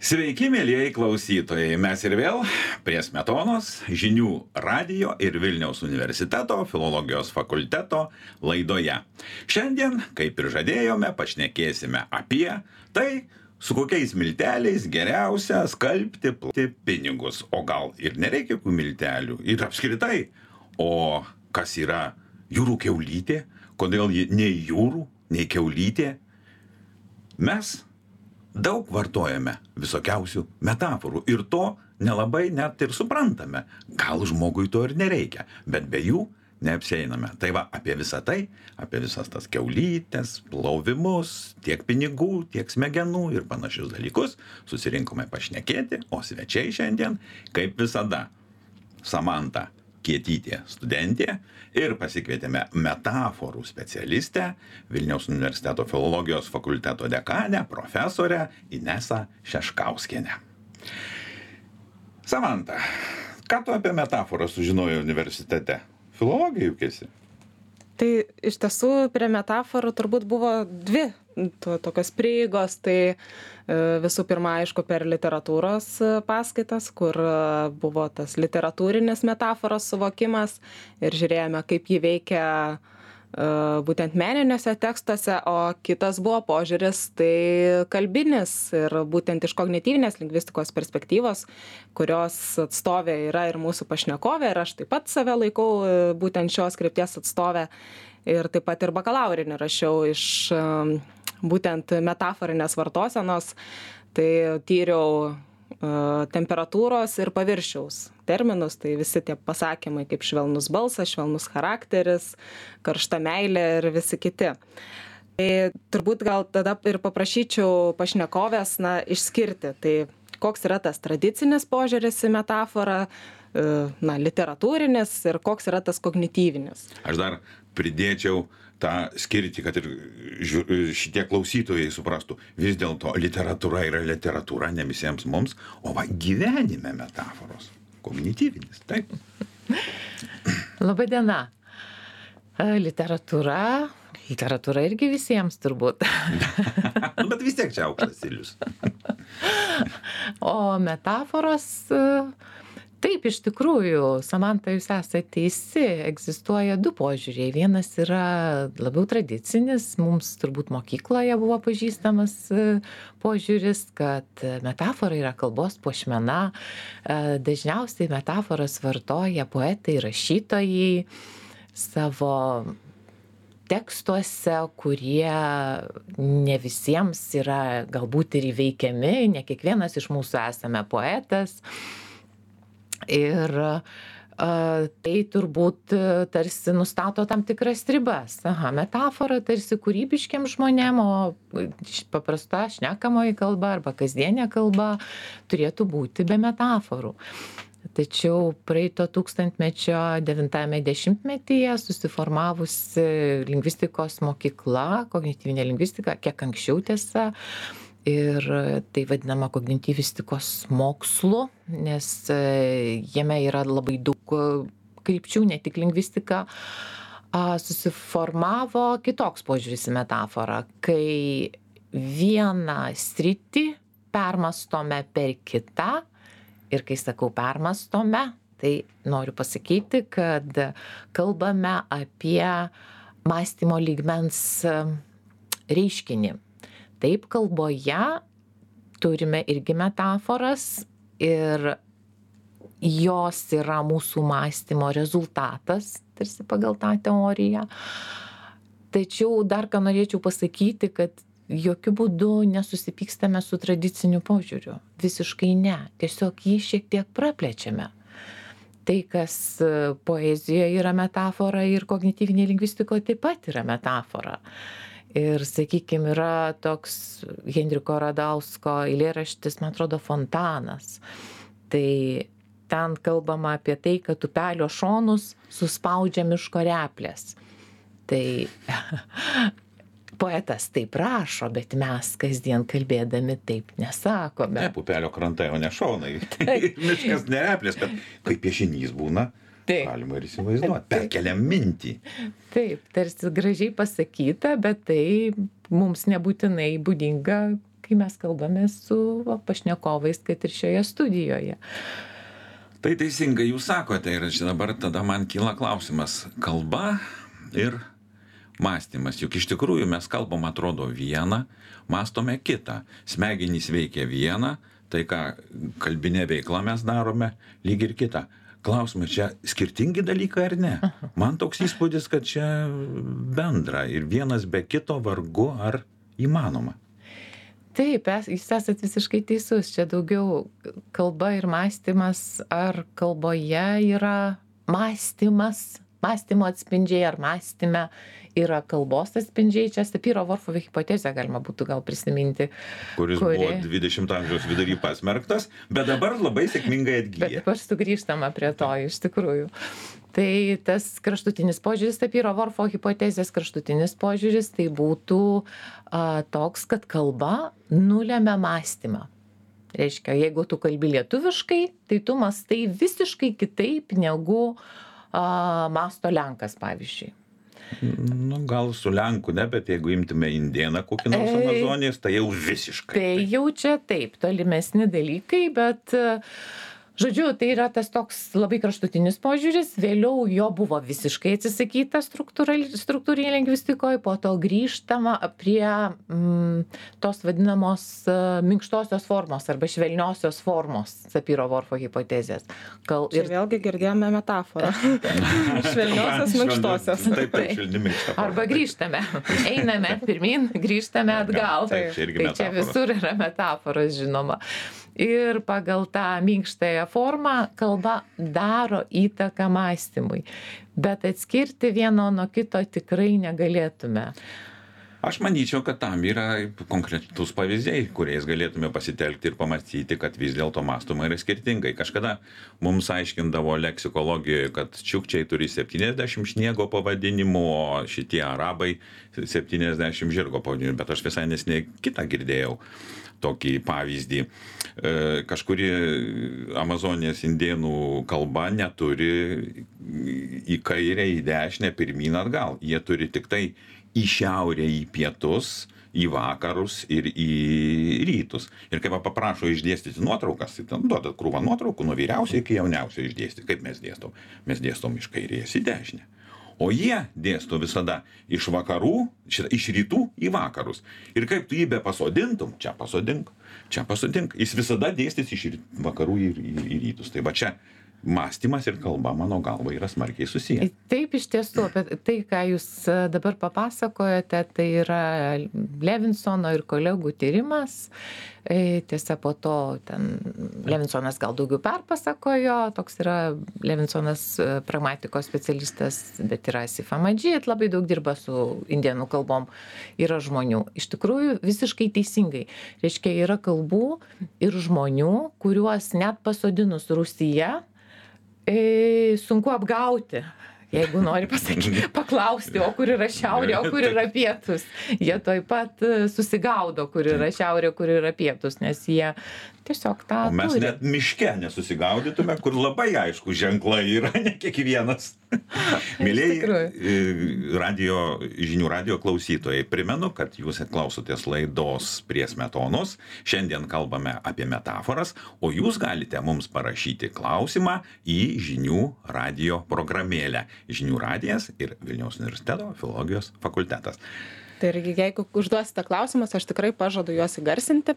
Sveiki, mėlyjei klausytojai. Mes ir vėl prie Smetonos žinių radijo ir Vilniaus universiteto filologijos fakulteto laidoje. Šiandien, kaip ir žadėjome, pašnekėsime apie tai, su kokiais milteliais geriausia skalbti pinigus. O gal ir nereikia jokių miltelių. Ir apskritai, o kas yra jūrų kiaulytė, kodėl ji nei jūrų, nei kiaulytė. Mes daug vartojame visokiausių metaforų ir to nelabai net ir suprantame. Gal žmogui to ir nereikia, bet be jų neapsieiname. Tai va, apie visą tai, apie visas tas kiaulytes, plovimus, tiek pinigų, tiek smegenų ir panašius dalykus susirinkome pašnekėti, o svečiai šiandien, kaip visada, Samanta Kietytė, studentė, ir pasikvietėme metaforų specialistę, Vilniaus universiteto filologijos fakulteto dekanę, profesorę Inesą Šeškauskienę. Samanta, ką tu apie metaforą sužinojai universitete? Filologija juk esi? Tai iš tiesų prie metaforų turbūt buvo dvi tokios prieigos. Tai visų pirma, aišku, per literatūros paskaitas, kur buvo tas literatūrinis metaforos suvokimas ir žiūrėjome, kaip jį veikia būtent meniniuose tekstuose, o kitas buvo požiūris tai kalbinis ir būtent iš kognityvinės lingvistikos perspektyvos, kurios atstovė yra ir mūsų pašnekovė, ir aš taip pat save laikau būtent šios krypties atstovė, ir taip pat ir bakalaurinį rašiau iš būtent metaforinės vartosenos, tai tyriau temperatūros ir paviršiaus terminus, tai visi tie pasakymai kaip švelnus balsas, švelnus charakteris, karšta meilė ir visi kiti. Tai turbūt gal tada ir paprašyčiau pašnekovės išskirti, tai koks yra tas tradicinis požiūris į metaforą, literatūrinis ir koks yra tas kognityvinis. Aš dar pridėčiau tą skirtį, kad ir šitie klausytojai suprastų, vis dėlto literatūra yra literatūra, ne visiems mums, o va gyvenime metaforos. Kognityvinis, taip. Labai diena. Literatūra irgi visiems turbūt. Bet vis tiek čia aukštas stilius. O metaforos, taip, iš tikrųjų, Samanta, jūs esate teisi, egzistuoja du požiūriai. Vienas yra labiau tradicinis, mums turbūt mokykloje buvo pažįstamas požiūris, kad metafora yra kalbos puošmena. Dažniausiai metaforas vartoja poetai, rašytojai savo tekstuose, kurie ne visiems yra galbūt ir įveikiami, ne kiekvienas iš mūsų esame poetas. Ir tai turbūt tarsi nustato tam tikras ribas. Metafora tarsi kūrybiškiam žmonėm, o paprasta šnekamoji kalba arba kasdienė kalba turėtų būti be metaforų. Tačiau praeito tūkstantmečio 9-ame dešimtmetyje susiformavusi lingvistikos mokykla, kognityvinė lingvistika, kiek anksčiau tiesa, ir tai vadinama kognityvistikos mokslu, nes jame yra labai daug krypčių, ne tik lingvistika, susiformavo kitoks požiūris į metaforą, kai vieną sritį permastome per kitą, ir kai sakau permastome, tai noriu pasakyti, kad kalbame apie mąstymo lygmens reiškinį. Taip, kalboje turime irgi metaforas ir jos yra mūsų mąstymo rezultatas, tarsi pagal tą teoriją. Tačiau dar ką norėčiau pasakyti, kad jokių būdų nesusipykstame su tradiciniu požiūriu. Visiškai ne. Tiesiog jį šiek tiek praplečiame. Tai, kas poezijoje yra metafora ir kognityvinėje lingvistikoje taip pat yra metafora. Ir, sakykime, yra toks Henriko Radausko eilėraštis, man atrodo, Fontanas. Tai ten kalbama apie tai, kad upelio šonus suspaudžia miško replės. Tai poetas taip rašo, bet mes kasdien kalbėdami taip nesakome. Ne, upelio krantai, o ne šonai. Miškas ne replės, bet kaip piešinys būna. Taip. Galima ir įsivaizduoti, perkeliam mintį. Taip, tarsi gražiai pasakyta, bet tai mums nebūtinai būdinga kai mes kalbame su pašnekovais, kad ir šioje studijoje. Tai teisingai jūs sakote ir čia dabar tada man kyla klausimas. Kalba ir mąstymas. Juk iš tikrųjų mes kalbam atrodo vieną, mąstome kitą. Smegenys veikia vieną, tai ką kalbinė veikla mes darome, lyg ir kitą. Klausimas, čia skirtingi dalykai ar ne? Man toks įspūdis, kad čia bendra ir vienas be kito vargu ar įmanoma. Taip, jūs esat visiškai teisus. Čia daugiau kalba ir mąstymas, ar kalboje yra mąstymas, mąstymo atspindžiai, ar mąstyme yra kalbos atspindžiai. Čia Sapiro-Whorfo hipotezę galima būtų gal prisiminti. Kuris buvo 20 amžiaus vidury pasmerktas, bet dabar labai sėkmingai atgyja. Bet dabar sugrįžtama prie to, iš tikrųjų. Tai tas kraštutinis požiūris, Sapiro-Whorfo hipotezės kraštutinis požiūris, tai būtų toks, kad kalba nulemia mąstymą. Reiškia, jeigu tu kalbi lietuviškai, tai tu mąstai visiškai kitaip negu mąsto lenkas, pavyzdžiui. Nu, gal su lenku ne, bet jeigu imtume indėną kokį nors Amazonijos, tai jau visiškai. Tai jau čia taip, tolimesni dalykai, bet žodžiu, tai yra tas toks labai kraštutinis požiūris, vėliau jo buvo visiškai atsisakyta struktūrinėje lingvistikoje, po to grįžtama prie tos vadinamos minkštosios formos arba švelniosios formos Sapiro-Whorfo hipotezės. Čia vėlgi girdėjome metaforą. Švelniosios, minkštosios. Taip, švelni minkšta forma. Arba grįžtame, einame pirmin, grįžtame atgal. Taip, tai čia visur yra metaforos, žinoma. Ir pagal tą minkštąją formą kalba daro įtaką mąstymui. Bet atskirti vieno nuo kito tikrai negalėtume. Aš manyčiau, kad tam yra konkretus pavyzdžiai, kuriais galėtume pasitelkti ir pamastyti, kad vis dėlto mąstoma yra skirtingai. Kažkada mums aiškindavo leksikologijoje, kad čiukčiai turi 70 sniego pavadinimų, o šitie arabai 70 žirgo pavadinimų. Bet aš visai nesnei kitą girdėjau tokį pavyzdį. Kažkuri Amazonijos indėnų kalba neturi į kairę, į dešinę, pirmyn atgal. Jie turi tik tai į šiaurę, į pietus, į vakarus ir į rytus. Ir kai paprašo išdėstyti nuotraukas, tai ten duodat krūvą nuotraukų nuo vyriausio iki jauniausio išdėstyti. Kaip mes dėstom? Mes dėstom iš kairės į dešinę. O jie dėsto visada iš vakarų, iš rytų į vakarus. Ir kaip tu jį be pasodintum, čia pasodink, jis visada dėstys iš vakarų į rytus. Tai va čia mąstymas ir kalba, mano galva, yra smarkiai susiję. Taip, iš tiesų, apie tai, ką jūs dabar papasakojate, tai yra Levinsono ir kolegų tyrimas. Tiesa, po to ten Levinsonas gal daugiau perpasakojo, toks yra Levinsonas pragmatikos specialistas, bet yra Asif Ahmadžid, labai daug dirba su indėnų kalbom, yra žmonių. Iš tikrųjų, visiškai teisingai. Reiškia, yra kalbų ir žmonių, kuriuos net pasodinus Rusiją, sunku apgauti, jeigu nori paklausti, o kur yra šiaurė, o kur yra pietus. Jie toj pat susigaudo, kur yra šiaurė, kur yra pietus, nes jie tiesiog tą turi. O mes net miške nesusigaudytume, kur labai aišku ženklai yra, ne kiekvienas. Mėlėjai žinių radio klausytojai, primenu, kad jūs klausotės laidos Prie smetonos. Šiandien kalbame apie metaforas, o jūs galite mums parašyti klausimą į žinių radio programėlę. Žinių radijas ir Vilniaus universiteto filologijos fakultetas. Tai jeigu užduosite klausimus, aš tikrai pažadu juos įgarsinti.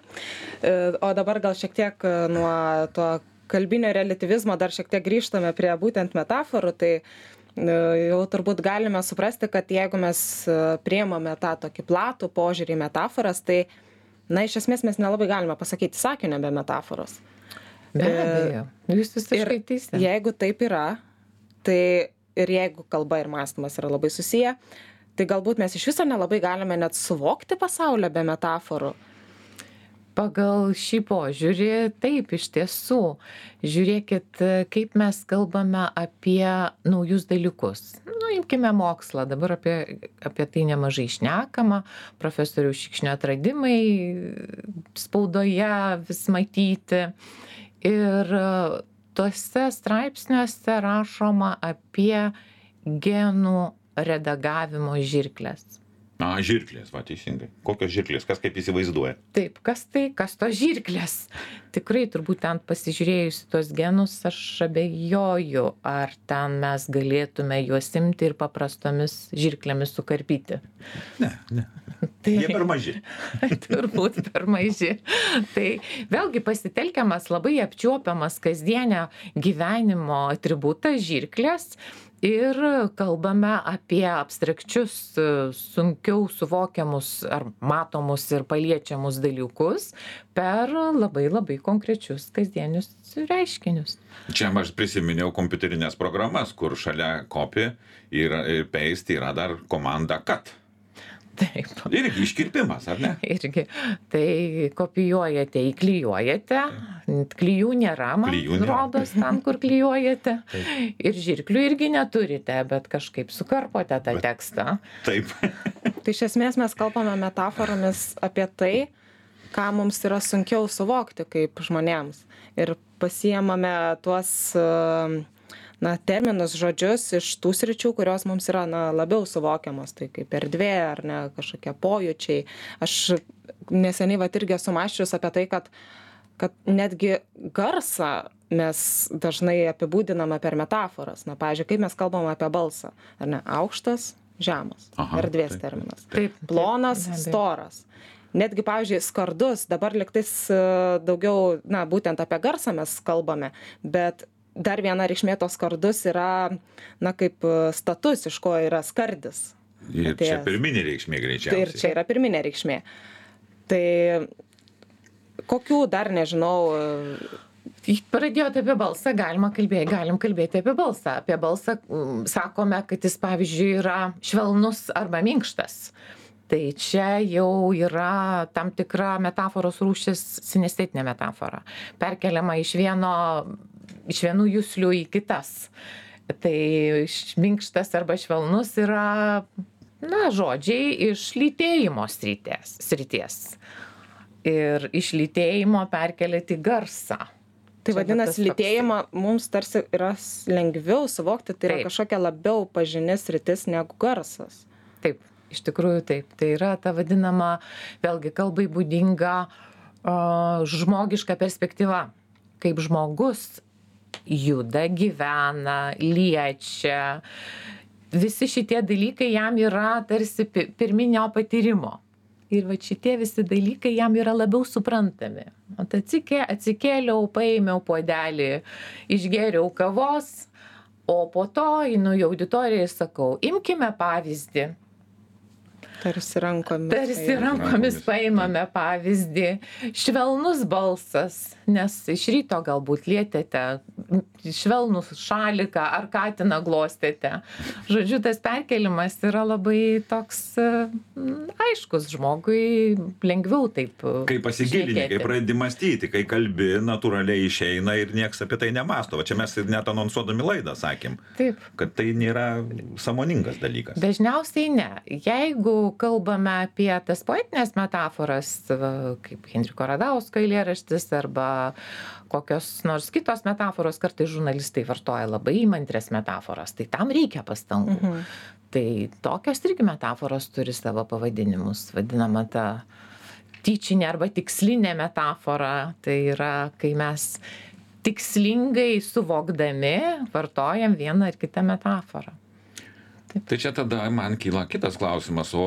O dabar gal šiek tiek nuo to kalbinio relativizmo dar šiek tiek grįžtame prie būtent metaforų. Tai jau turbūt galime suprasti, kad jeigu mes priimame tą tokį platų požiūrį į metaforas, tai, iš esmės mes nelabai galime pasakyti sakinio be metaforos. Be abejo, jūs visiškai teisi. Jeigu taip yra, tai ir jeigu kalba ir mąstymas yra labai susiję, tai galbūt mes iš viso nelabai galime net suvokti pasaulio be metaforų. Pagal šį požiūrį, taip, iš tiesų. Žiūrėkit, kaip mes kalbame apie naujus dalykus. Imkime mokslą, dabar apie tai nemažai šnekama, profesorių Šikšnio atradimai spaudoje vis matyti. Ir tuose straipsniuose rašoma apie genų redagavimo žirkles. Žirklės, va, teisingai. Kokios žirklės, kas kaip įsivaizduoja? Taip, kas tos žirklės? Tikrai turbūt ten pasižiūrėjus į tos genus, aš abejoju, ar ten mes galėtume juos imti ir paprastomis žirklėmis sukarpyti. Ne. Jie per maži. Turbūt per maži. Tai vėlgi pasitelkiamas labai apčiuopiamas kasdienio gyvenimo atributas žirklės. Ir kalbame apie abstrakčius, sunkiau suvokiamus ar matomus ir paliečiamus dalykus per labai labai konkrečius kasdienius reiškinius. Čia aš prisiminiau kompiuterinės programas, kur šalia copy ir paste yra dar komanda cut. Taip. Irgi iškirpimas, ar ne? Irgi. Tai kopijuojate, įklijuojate. Klijų nėra, man rodos, ten, kur klijuojate. Taip. Ir žirklių irgi neturite, bet kažkaip sukarpote tą tekstą. Taip. Tai iš esmės mes kalbame metaforomis apie tai, ką mums yra sunkiau suvokti kaip žmonėms. Ir pasiemame tuos terminus, žodžius iš tų sričių, kurios mums yra labiau suvokiamos, tai kaip erdvė ar ne, kažkokie pojūčiai. Aš neseniai irgi esu mąsčius apie tai, kad netgi garsą mes dažnai apibūdiname per metaforas. Pavyzdžiui, kaip mes kalbame apie balsą, ar ne, aukštas, žemas, erdvės terminas. Taip, plonas, storas. Netgi, pavyzdžiui, skardus, dabar lygtais daugiau, būtent apie garsą mes kalbame, bet dar viena reikšmė tos skardus yra, kaip status, iš ko yra skardis. Ir čia pirminė reikšmė greičiausiai. Ir čia yra pirminė reikšmė. Tai kokių dar nežinau. Pradėjote apie balsą, galim kalbėti apie balsą. Apie balsą sakome, kad jis, pavyzdžiui, yra švelnus arba minkštas. Tai čia jau yra tam tikra metaforos rūšis, sinestetinė metafora. Perkeliama iš vienų juslių į kitas. Tai minkštas arba švelnus yra, žodžiai iš lytėjimo srities. Ir iš lytėjimo perkelėti garsą. Tai vadinasi, lytėjimą mums tarsi yra lengviau suvokti, tai yra kažkokia labiau pažini sritis negu garsas. Taip, iš tikrųjų taip. Tai yra ta vadinama, vėlgi kalbai būdinga žmogiška perspektyva. Kaip žmogus juda, gyvena, liečia. Visi šitie dalykai jam yra tarsi pirminio patyrimo. Ir šitie visi dalykai jam yra labiau suprantami. Atsikėliau, paėmiau puodelį, išgėriau kavos, o po to einu į auditoriją ir sakau, imkime pavyzdį. Tarsi rankomis paimame pavyzdį. Švelnus balsas, nes iš ryto galbūt lietėte švelnų šaliką ar katiną glostėte. Žodžiu, tas perkelimas yra labai toks aiškus, žmogui lengviau taip. Kai pasigilini, kai pradedi mąstyti, kai kalbi, natūraliai išeina ir nieks apie tai nemąsto. Va čia mes net anonsuodami laidą sakėm, taip, kad tai nėra sąmoningas dalykas. Dažniausiai ne. Jeigu kalbame apie tas poetinės metaforas, kaip Henriko Radausko eilėraštis arba kokios nors kitos metaforos, kartais žurnalistai vartoja labai įmantrias metaforas, tai tam reikia pastangų. Tai tokios irgi metaforos turi savo pavadinimus, vadinama ta tyčinė arba tikslinė metafora. Tai yra, kai mes tikslingai suvokdami vartojam vieną ar kitą metaforą. Tai čia tada man kyla kitas klausimas, o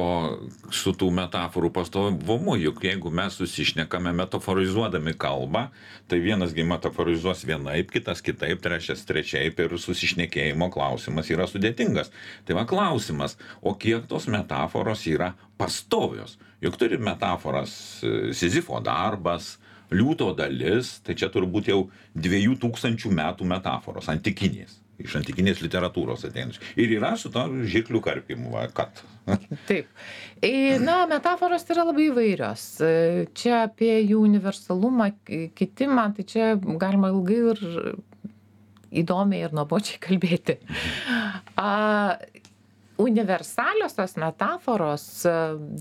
su tų metaforų pastovumu, juk jeigu mes susišnekame metaforizuodami kalbą, tai vienasgi metaforizuos vienaip, kitas kitaip, trečias trečiaip ir susišnekėjimo klausimas yra sudėtingas. Tai va klausimas, o kiek tos metaforos yra pastovios? Juk turi metaforas Sizifo darbas, liūto dalis, tai čia turbūt jau 2000 metų metaforos, antikinės. Iš antikinės literatūros ateinančių. Ir yra su to žirklių karpimu, kad. Taip. Metaforos yra labai įvairios. Čia apie jų universalumą, kitimą, tai čia galima ilgai ir įdomiai ir nuobodžiai kalbėti. Universaliosios metaforos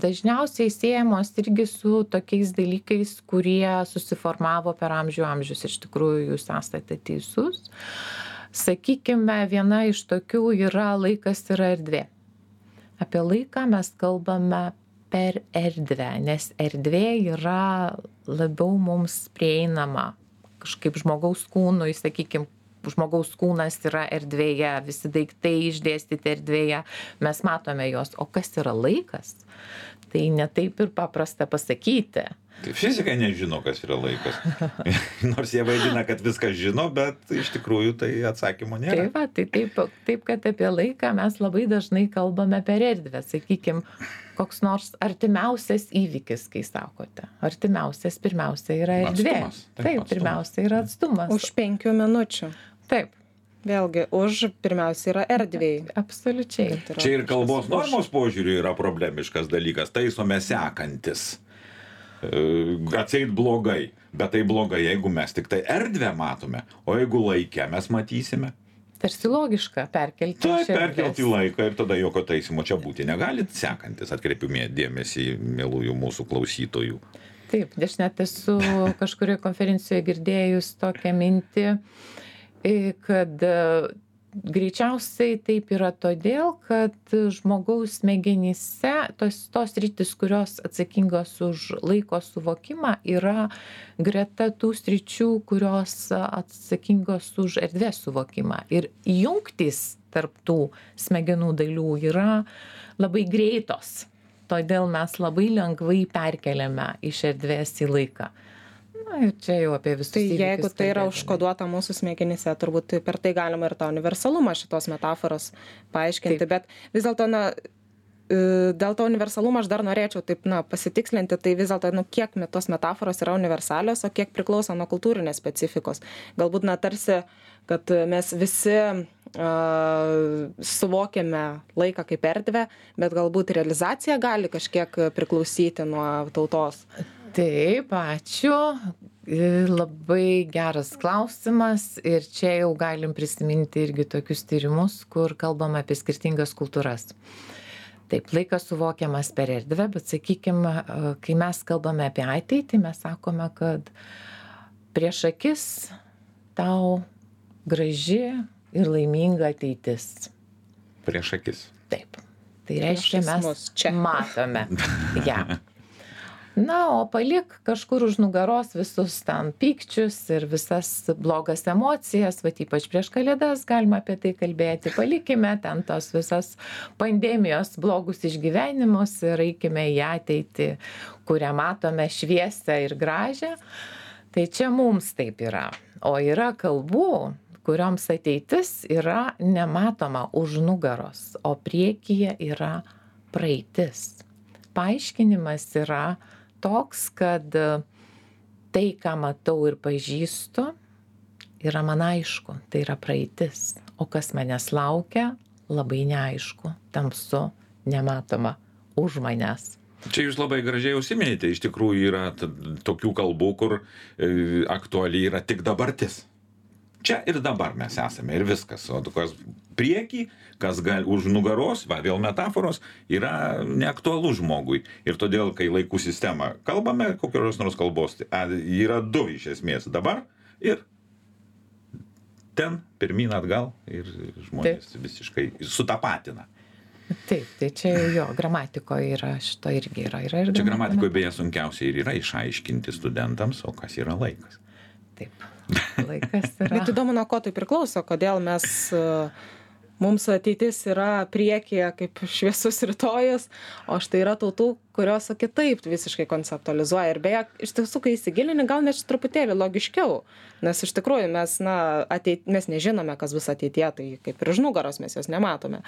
dažniausiai siejamos irgi su tokiais dalykais, kurie susiformavo per amžius. Iš tikrųjų, jūs esate teisus. Sakykime, viena iš tokių yra laikas ir erdvė. Apie laiką mes kalbame per erdvę, nes erdvė yra labiau mums prieinama. Kažkaip žmogaus kūnui, sakykime, žmogaus kūnas yra erdvėje, visi daiktai išdėstyti erdvėje, mes matome juos. O kas yra laikas? Tai netaip ir paprasta pasakyti. Tai fizikai nežino, kas yra laikas. Nors jie vaidina, kad viską žino, bet iš tikrųjų tai atsakymo nėra. Taip, kad apie laiką mes labai dažnai kalbame per erdvę. Sakykime, koks nors artimiausias įvykis, kai sakote. Artimiausias pirmiausia yra erdvė. Atstumas. Taip, pirmiausia yra atstumas. Už 5 minučių. Taip. Vėlgi, pirmiausia yra erdvėj. Absoliučiai. Čia ir kalbos normos požiūriu yra problemiškas dalykas. Taisome sekantis. Atseit blogai. Bet tai blogai, jeigu mes tik tai erdvę matome. O jeigu laikę mes matysime. Tarsi logiška perkelti. Taip, perkelti į laiką ir tada jokio taisymo čia būti negalit. Sekantis, atkreipimė dėmesį mielųjų mūsų klausytojų. Taip, aš net esu kažkurioje konferencijoje girdėjus tokią mintį, kad greičiausiai taip yra todėl, kad žmogaus smegenyse tos sritys, kurios atsakingos už laiko suvokimą, yra greta tų sričių, kurios atsakingos už erdvės suvokimą. Ir jungtys tarp tų smegenų dalių yra labai greitos. Todėl mes labai lengvai perkeliame iš erdvės į laiką. Na, ir čia jau apie visus įvykius. Tai jeigu tai yra užkoduota mūsų smegenyse, turbūt per tai galima ir tą universalumą šitos metaforos paaiškinti. Taip. Bet vis dėlto, dėl to universalumo aš dar norėčiau taip, pasitikslinti, tai vis dėlto, kiek tos metaforos yra universalios, o kiek priklauso nuo kultūrinės specifikos. Galbūt, tarsi, kad mes visi suvokiame laiką kaip erdvę, bet galbūt realizacija gali kažkiek priklausyti nuo tautos. Taip, ačiū. Labai geras klausimas ir čia jau galim prisiminti irgi tokius tyrimus, kur kalbame apie skirtingas kultūras. Taip, laikas suvokiamas per erdvę, bet sakykime, kai mes kalbame apie ateitį, mes sakome, kad prieš akis tau graži ir laiminga ateitis. Prieš akis. Taip. Tai reiškia, mes matome ją. Na, o palik kažkur už nugaros visus ten pykčius ir visas blogas emocijas, ypač prieš Kalėdas galima apie tai kalbėti. Palikime ten tos visas pandemijos blogus išgyvenimus ir eikime į ateitį, kurią matome šviesią ir gražią. Tai čia mums taip yra. O yra kalbų, kurioms ateitis yra nematoma už nugaros, o priekyje yra praeitis. Paaiškinimas yra toks, kad tai, ką matau ir pažįstu, yra man aišku, tai yra praeitis. O kas manęs laukia, labai neaišku, tamsu, nematoma už manęs. Čia jūs labai gražiai užsiminėte, iš tikrųjų yra tokių kalbų, kur aktualiai yra tik dabartis. Čia ir dabar mes esame ir viskas. O kas priekį, kas gali už nugaros, vėl metaforos, yra neaktualu žmogui. Ir todėl, kai laikų sistema kalbame, kokios nors kalbos, yra du iš esmės dabar ir ten pirmyn atgal ir žmonės visiškai sutapatina. Taip, tai čia jo gramatikoje yra, šito irgi yra. Čia gramatikoje beje sunkiausiai ir yra išaiškinti studentams, o kas yra laikas. Taip. Laikas yra. Bet įdomu, nuo ko tai priklauso, kodėl mums ateitis yra priekyje kaip šviesus rytojus, o štai yra tautų, kurios kitaip visiškai konceptualizuoja. Ir beje, iš tiesų, kai įsigilini, gal net truputėlį logiškiau, nes iš tikrųjų mes nežinome, kas bus ateityje, tai kaip ir už nugaros mes jos nematome.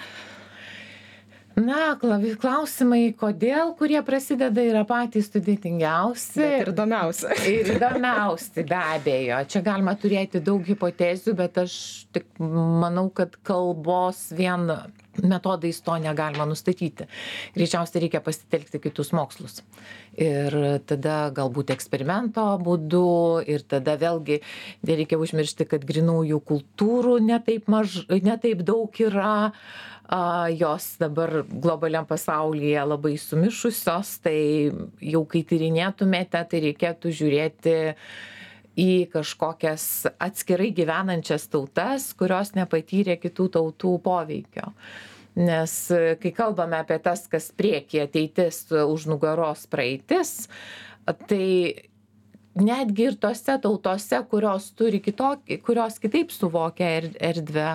Na, klausimai, kodėl, kurie prasideda, yra patys sudėtingiausi. Bet ir įdomiausi. Ir įdomiausi, be abejo. Čia galima turėti daug hipotezių, bet aš tik manau, kad kalbos vien metodais to negalima nustatyti. Greičiausiai reikia pasitelkti kitus mokslus. Ir tada galbūt eksperimento būdu, ir tada vėlgi nereikia užmiršti, kad grynųjų kultūrų netaip daug yra. Jos dabar globaliam pasaulyje labai sumišusios, tai jau kai tyrinėtumėte, tai reikėtų žiūrėti į kažkokias atskirai gyvenančias tautas, kurios nepatyrė kitų tautų poveikio. Nes kai kalbame apie tas, kas priekyje ateitis, už nugaros praeitis, tai netgi ir tose tautose, kurios turi kitokį, kurios kitaip suvokia erdvę,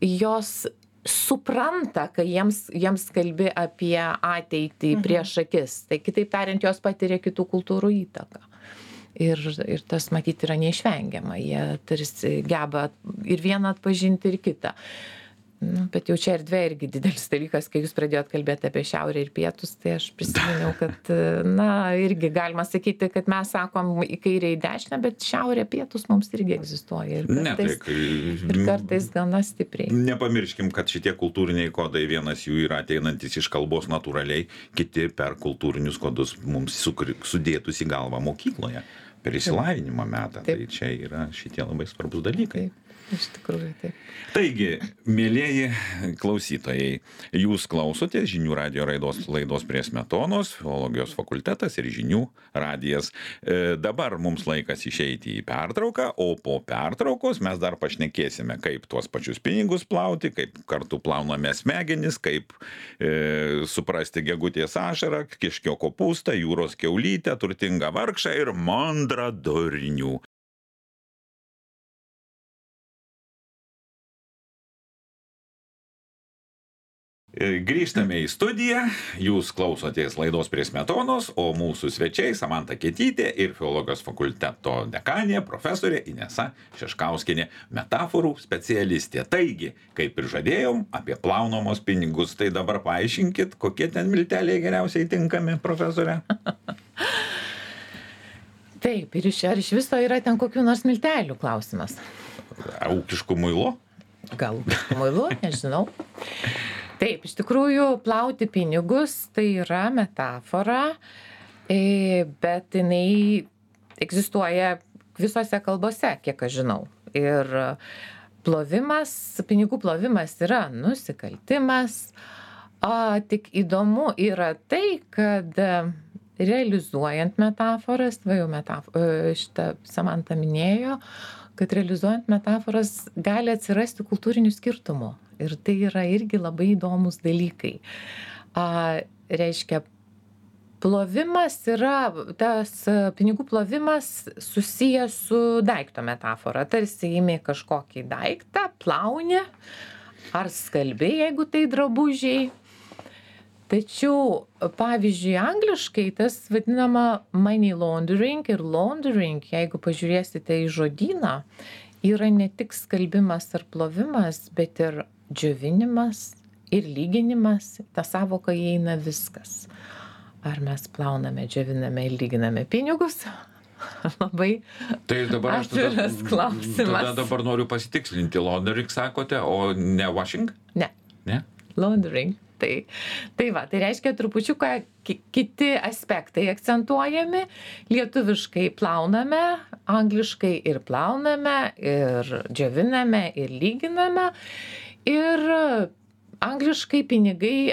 jos supranta, kai jiems kalbi apie ateitį prieš akis. Tai kitaip tariant, jos patiria kitų kultūrų įtaką. Ir tas matyti yra neišvengiama. Jie tarsi geba ir vieną atpažinti, ir kitą. Bet jau čia erdvė irgi didelis dalykas, kai jūs pradėjot kalbėti apie šiaurę ir pietus, tai aš prisiminiau, kad, irgi galima sakyti, kad mes sakom į kairę, į dešinę, bet šiaurė, pietus mums irgi egzistuoja. Ir kartais gana stipriai. Nepamirškim, kad šitie kultūriniai kodai, vienas jų yra ateinantis iš kalbos natūraliai, kiti per kultūrinius kodus mums sudėtus į galvą mokykloje, per išsilavinimo metą. Tai čia yra šitie labai svarbus dalykai. Taip. Iš tikrųjų, taip. Taigi, mielieji klausytojai, jūs klausotės Žinių radijo laidos Prie smetonos, Filologijos fakultetas ir Žinių radijas. Dabar mums laikas išeiti į pertrauką, o po pertraukos mes dar pašnekėsime, kaip tuos pačius pinigus plauti, kaip kartu plauname smegenis, kaip suprasti gegutės ašarą, kiškio kopūstą, jūros kiaulytę, turtingą vargšą ir mandrą durnių. Grįžtame į studiją, jūs klausotės laidos Prie smetonos, o mūsų svečiai Samanta Kietytė ir Filologijos fakulteto dekanė profesorė Inesa Šeškauskienė, metaforų specialistė. Taigi, kaip ir žadėjom, apie plaunamos pinigus, tai dabar paaiškinkit, kokie ten milteliai geriausiai tinkami, profesorė? Taip, ir ar iš viso yra ten kokių nors miltelių klausimas? Ūkiškų muilo? Gal ūkiškų muilo, nežinau. Taip, iš tikrųjų, plauti pinigus tai yra metafora, bet jinai egzistuoja visose kalbose, kiek aš žinau. Ir pinigų plovimas yra nusikaltimas. Tik įdomu yra tai, kad realizuojant metaforas, šitą Samanta minėjo, kad realizuojant metaforas gali atsirasti kultūrinių skirtumų. Ir tai yra irgi labai įdomus dalykai. Reiškia, plovimas yra, tas pinigų plovimas susijęs su daikto metafora. Tarsi imi kažkokį daiktą, plauni, ar skalbi, jeigu tai drabužiai. Tačiau, pavyzdžiui, angliškai tas vadinama money laundering ir laundering, jeigu pažiūrėsite į žodyną, yra ne tik skalbimas ar plovimas, bet ir džiovinimas ir lyginimas. Ta savoka įeina viskas. Ar mes plauname, džioviname ir lyginame pinigus? Labai atviras klausimas. Tada dabar noriu pasitikslinti. Laundering sakote, o ne washing? Ne. Laundering. Tai reiškia trupučiuką kiti aspektai akcentuojami. Lietuviškai plauname, angliškai ir plauname, ir džioviname, ir lyginame. Ir angliškai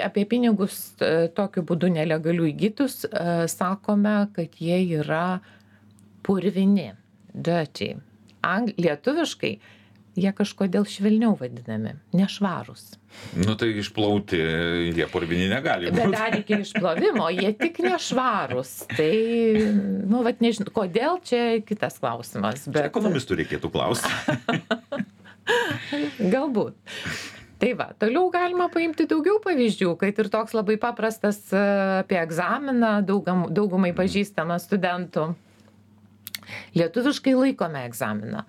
apie pinigus tokiu būdu nelegalių įgytus sakome, kad jie yra purvini, dirty. Lietuviškai jie kažkodėl švelniau vadinami, nešvarūs. Tai išplauti jie purvini negali būti. Bet dar iki išplovimo jie tik nešvarūs. Tai, nežinau, kodėl, čia kitas klausimas. Bet ekonomistų reikėtų klausti. Galbūt. Tai toliau galima paimti daugiau pavyzdžių, kad ir toks labai paprastas apie egzaminą, daugumai pažįstamas studentų. Lietuviškai laikome egzaminą,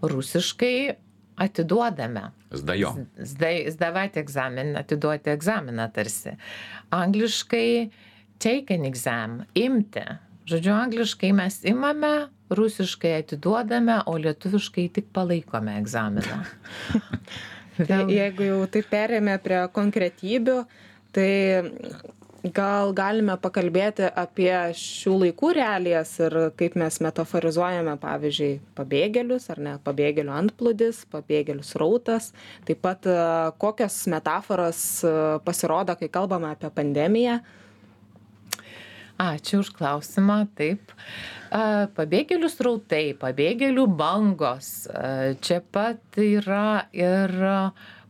rusiškai atiduodame. Zdajo. Zdavati egzaminą, atiduoti egzaminą tarsi. Angliškai take an exam, imti. Žodžiu, angliškai mes imame, rusiškai atiduodame, o lietuviškai tik palaikome egzaminą. Jeigu jau taip perėmė prie konkretybių, tai gal galime pakalbėti apie šių laikų realijas ir kaip mes metaforizuojame, pavyzdžiui, pabėgėlius, ar ne, pabėgėlių antplūdis, pabėgėlių srautas, taip pat kokios metaforos pasirodo, kai kalbame apie pandemiją. Ačiū už klausimą, taip. Pabėgėlių srautai, pabėgėlių bangos, čia pat yra ir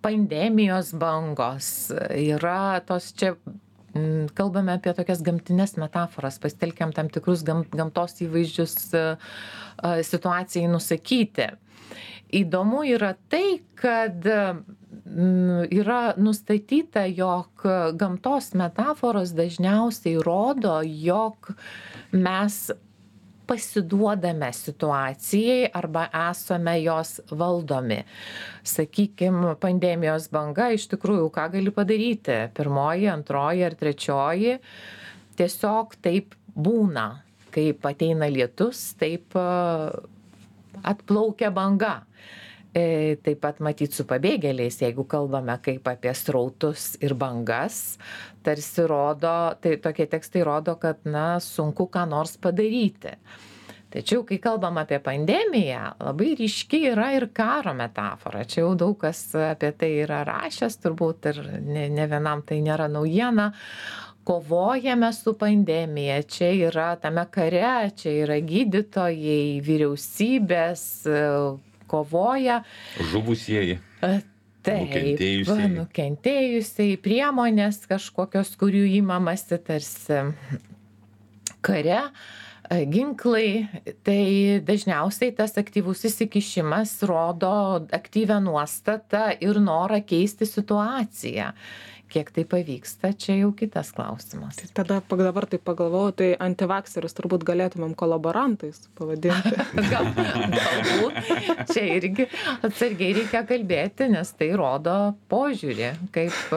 pandemijos bangos, yra tos čia, kalbame apie tokias gamtinės metaforas, pasitelkiam tam tikrus gamtos įvaizdžius situacijai nusakyti. Įdomu yra tai, kad yra nustatyta, jog gamtos metaforos dažniausiai rodo, jog mes pasiduodame situacijai arba esame jos valdomi. Sakykime, pandemijos banga iš tikrųjų ką gali padaryti? Pirmoji, antroji ar trečioji tiesiog taip būna. Kaip ateina lietus, taip atplaukia banga. Taip pat matyt su pabėgėliais, jeigu kalbame kaip apie srautus ir bangas, tarsi rodo, tai tokie tekstai rodo, kad sunku ką nors padaryti. Tačiau, kai kalbam apie pandemiją, labai ryški yra ir karo metafora. Čia jau daug kas apie tai yra rašęs, turbūt ir ne vienam tai nėra naujiena. Kovojame su pandemija, čia yra tame kare, čia yra gydytojai, vyriausybės, kovoja. Žuvusieji. Taip, nukentėjusiai, priemonės kažkokios, kurių įmamasi tarsi kare, ginklai. Tai dažniausiai tas aktyvus įsikišimas rodo aktyvią nuostatą ir norą keisti situaciją. Kiek tai pavyksta, čia jau kitas klausimas. Tai tada dabar taip pagalvojau, tai antivakserius turbūt galėtumėm kolaborantais pavadinti. Galbūt. Čia irgi atsargiai reikia kalbėti, nes tai rodo požiūrį, kaip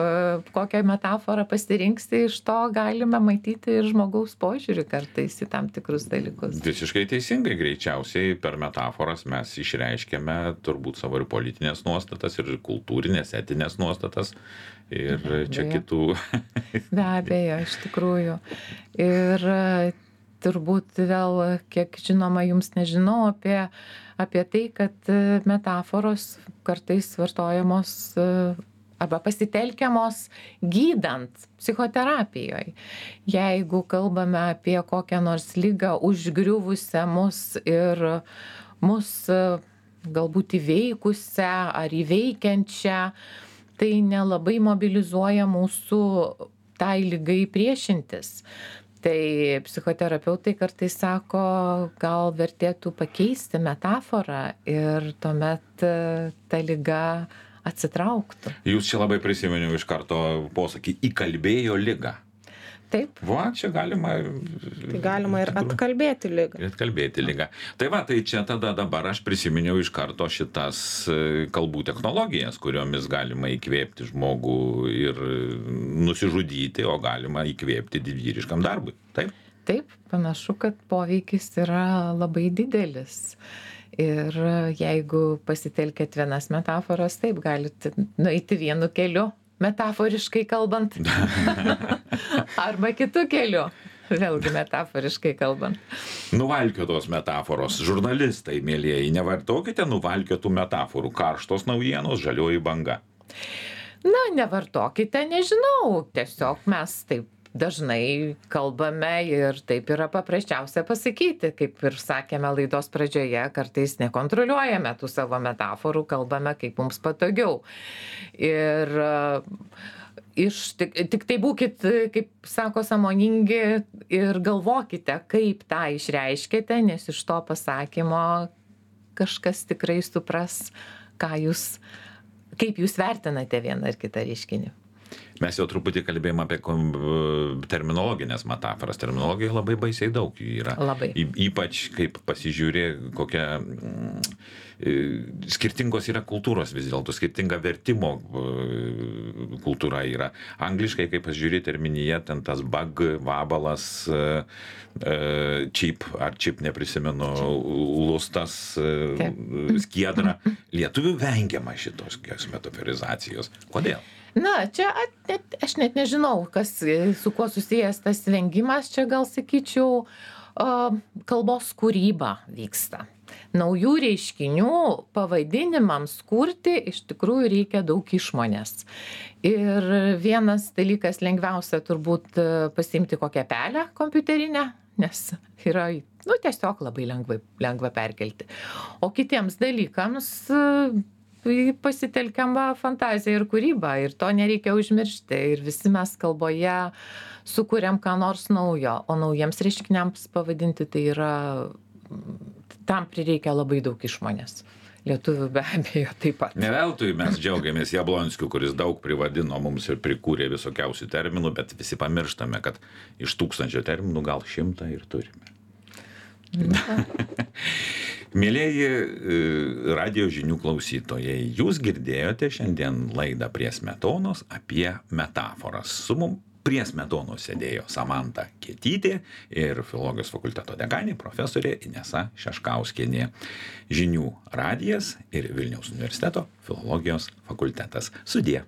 kokią metaforą pasirinksi, iš to galime matyti ir žmogaus požiūrį kartais į tam tikrus dalykus. Visiškai teisingai, greičiausiai per metaforas mes išreiškėme turbūt savo ir politinės nuostatas, ir kultūrinės, etinės nuostatas. Ir čia kitų. Be abejo, iš tikrųjų. Ir turbūt vėl, kiek žinoma, jums nežinau apie tai, kad metaforos kartais vartojamos arba pasitelkiamos gydant psichoterapijoje. Jeigu kalbame apie kokią nors ligą užgriuvusią mus ir mus galbūt įveikusią ar įveikiančią, tai nelabai mobilizuoja mūsų tai ligai priešintis. Tai psichoterapeutai kartais sako, gal vertėtų pakeisti metaforą ir tuomet ta liga atsitrauktų. Jūs čia labai prisiminiau iš karto posakį įkalbėjo ligą. Taip. Va, čia galima. Tai galima ir atkalbėti ligą. Atkalbėti ligą. Tai va, tai čia tada dabar aš prisiminiau iš karto šitas kalbų technologijas, kuriomis galima įkvėpti žmogų ir nusižudyti, o galima įkvėpti didvyriškam darbui. Taip? Taip, panašu, kad poveikis yra labai didelis. Ir jeigu pasitelkėt vienas metaforas, taip galite nueiti vienu keliu. Metaforiškai kalbant, arba kitų kelių, vėlgi metaforiškai kalbant. Nuvalkiotos metaforos. Žurnalistai, mielieji, nevartokite nuvalkiotų metaforų. Karštos naujienos, žalioji banga. Nevartokite, nežinau, tiesiog mes taip dažnai kalbame ir taip yra paprasčiausia pasakyti, kaip ir sakėme laidos pradžioje, kartais nekontroliuojame tų savo metaforų, kalbame kaip mums patogiau. Ir tik tai būkit, kaip sako, sąmoningi ir galvokite, kaip tą išreiškite, nes iš to pasakymo kažkas tikrai supras, kaip jūs vertinate vieną ar kitą reiškinį. Mes jau truputį kalbėjome apie terminologinės metaforas. Terminologija labai baisiai daug jų yra. Labai. Ypač kaip pasižiūrė, kokia skirtingos yra kultūros vis dėlto, skirtinga vertimo kultūra yra. Angliškai, kaip pasižiūrė terminija, ten tas bug, vabalas, chip, ar chip neprisimenu, lustas, skiedra. Lietuvių vengiama šitos metaforizacijos. Kodėl? Čia aš net nežinau, su kuo susijęs tas vengimas, čia gal sakyčiau, kalbos kūryba vyksta. Naujų reiškinių pavadinimams kurti iš tikrųjų reikia daug išmonės. Ir vienas dalykas lengviausia turbūt pasiimti kokią pelę kompiuterinę, nes yra tiesiog labai lengva perkelti. O kitiems dalykams pasitelkiama fantazija ir kūryba ir to nereikia užmiršti. Ir visi mes kalboje sukuriam ką nors naujo, o naujiems reiškiniams pavadinti tai yra, tam prireikia labai daug išmonės. Lietuvių be abejo taip pat. Ne veltui mes džiaugiamės Jablonskiu, kuris daug privadino mums ir prikūrė visokiausių terminų, bet visi pamirštame, kad iš 1000 terminų gal 100 ir turime. Mėlieji radijo žinių klausytojai, jūs girdėjote šiandien laidą Prie smetonos apie metaforas. Su mum prie smetonos sėdėjo Samanta Kietytė ir Filologijos fakulteto dekanė profesorė Inesa Šeškauskienė. Žinių radijas ir Vilniaus universiteto Filologijos fakultetas. Sudie.